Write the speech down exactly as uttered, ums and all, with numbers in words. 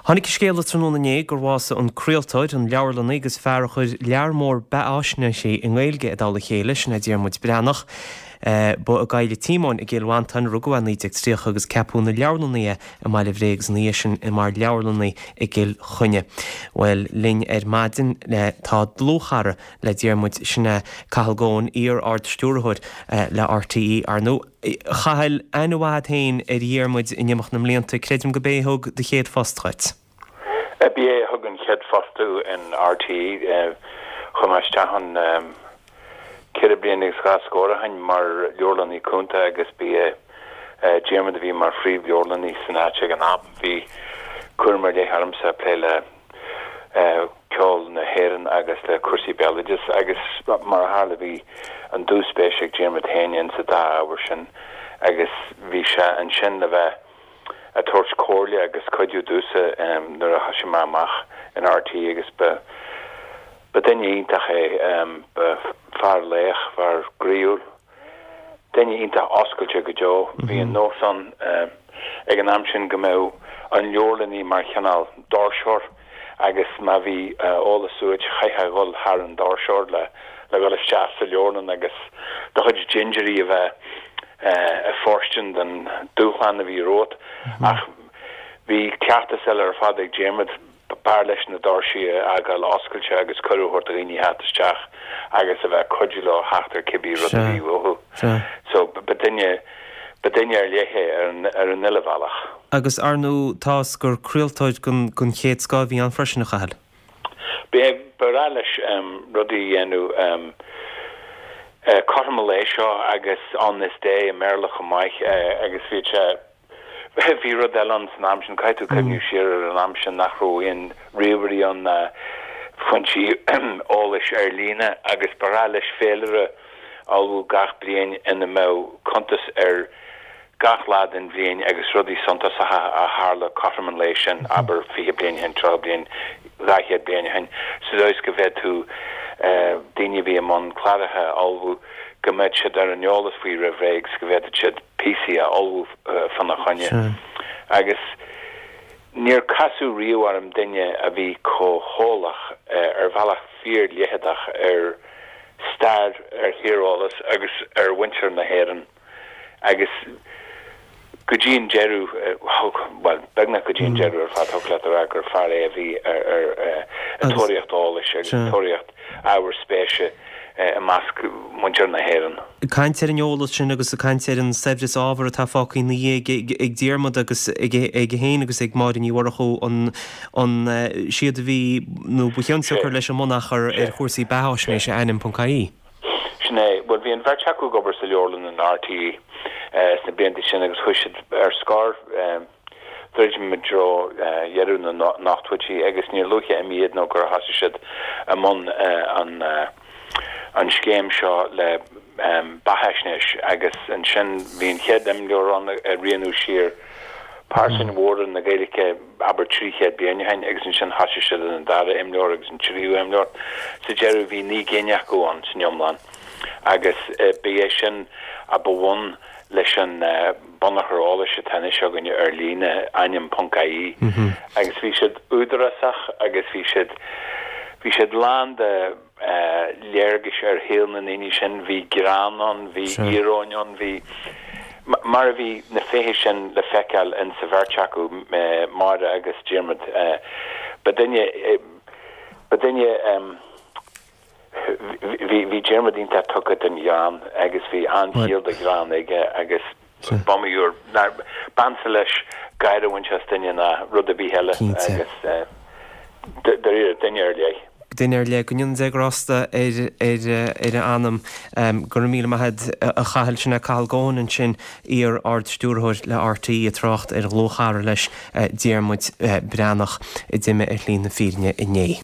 Tháinig scéala tráthnóna inné gur bhásaigh an craoltóir an leabharlannaí agus fear a chuir lear mór beathaisnéisí i nGaeilge i dtoll a chéile sin é Diarmuid Breathnach. Uh, ba i gCoill Tíomóin i gCill Mhantáin rugadh é naoi déag tríocha agus ceapadh ina leabharlannaí é i mBaile Bhréag agus ina dhiaidh sin mar leabharlannaí i gCill Chainnigh. Well linn ar maidin le tá dlúthchara le Diarmuid sin é Cathal Goan iar-ardstiúrthóir uh, le RTÉ ar ndóigh. Chathail aithne mhaith féin ar Dhiarmuid in imeacht na mblianta creidim gurb é a thug do chéad phost dhuit. B'é a thug an chéad phost in RTÉ chum isteach an ceithre bliana agus dhá scór ó shin mar leabharlannaí cúnta agus b'é Diarmuid a bhí mar phríomhleabharlannaí san áit ag an am bhí cúram ar leith ormsa plé le ceol na hÉireann agus le cúrsaí béaloideas agus mar a tharla bhí an dúspéis ag Diarmuid féin in sa dá ábhar sin agus bhí sé ansin le bheith ag tabhairt comhairle agus cuidiú domhsa um, nuair a thosaigh mé amach in RTÉ agus ba ba duine iontach é um, ba fear lách fear groíúil duine iontach oscailte go deo bhí an nós ann uh, ag an am sin go mbeadh an leabharlannaí mar chineál doirseoir agus má bhí eolas uait chaithfeá dhul thar an doirseoir le le dhul isteach sa leabharlann agus do chuid dintiúirí a bheith ag fóirstean don dúshlán a bhí romhat ach bhí cleachtas eile ar fad ag Diarmuid b'fhearr leis na doirsí a fhágáil oscailte agus cuireadh a thabhairt do dhaoine theacht isteach agus a bheith cuidiú leo theacht ar cibé rud a bhí uathu. So ba duine ba duine ar leith é ar an ar an uile bhealach. Agus ar ndóigh tá gur craoltóir den den chéad scoth a bhí ann freisin a Chathail. Ba ba leis um, rudaí dhéanamh um, uh, cothrom an lae seo agus On This Day i mBéarla chomh maith uh, agus bhí sé bhí rud eile ann san am sin caithfidh tú cuimhneamh siar ar an am sin nach raibh aon ríomhairí ann uh, foinsí eolais ar líne agus ba leis féilire a ullmhú gach bliain ina mbeadh cuntas ar gach lá den bhliain agus rudaí suntasacha a tharla cothrom an lae sin abair fiche bliain ó shin tríocha bliain dhá chéad bliain ó shin sa dóigh go bhféadfadh daoine bhí i mbun cláracha a ullmhú go mbeadh siad ar an eolas faoi roimh ré agus go bhféadfadh siad píosaí a ullmhú fána choinne. Agus níor casadh riamh orm duine a bhí chomh heolach ar bhealach fíorleitheadach ar stair ar thíreolas agus ar mhuintir na hÉireann agus go dtí an deireadh well beagnach go dtí an deireadh ar fad thig leat a rá gur fear é a bhí ar ar tóraíocht eolais agus tóraíocht ábhar spéise i measc muintir na hÉireann. Caint ar an eolas sin agus caint ar an saibhreas ábhar atá fágtha ina dhiaidh ag Diarmuid agus ag féin agus ag Máire Ní Mhurchú an an siad a bhí nó ba chionsiocair leis an mbunachar ar chúrsaí beathaisnéise ainm.ie. Sin é well bhí an bheirt acu ag obair sa leabharlann in RTÉ sna blianta sin agus chuaigh siad ar scor druidim i dtreo dheireadh na n-ochtóidí agus níor luaithe iad nó gur thosaigh siad i mbun an an scéim seo le beathaisnéis agus ansin bhí an chéad imleabhar ann ag rianú siar pearsain mhóra na Gaeilge abair trí chéad bliain ó shin agus ansin thosaigh siad an dara imleabhar agus an tríú imleabhar. Sa deireadh bhí naoi gcinn acu ann san iomlán agus ba é sin a ba bhun leis an bunachar eolais atá anois againne ar líne ainm.ie agus bhí siad údarásach agus bhí siad bhí siad lán de léargais ar shaol na ndaoine sin, bhí greann ann, bhí íoróin ann, bhí mar a bhí na féithe sin le feiceáil in sa bheirt acu Máire agus Diarmuid ba duine ba duine bhí bhí Diarmuid iontach tugtha don ghreann agus bhí an-chiall do ghreann aige agus b'fhearr b'ansa leis gáire a bhaint as duine ná rud ar bith eile agus dáiríre duine ar leith. Duine ar leith go ndéana Dia grásta ar ar ar a anam go raibh míle maith agat a Chathail sin é Cathal Goan ansin iar ardstiúrthóir le RTÉ ag trácht ar dhlúthchara leis Diarmuid Breathnach a d'imigh ar shlí na fírinne inné.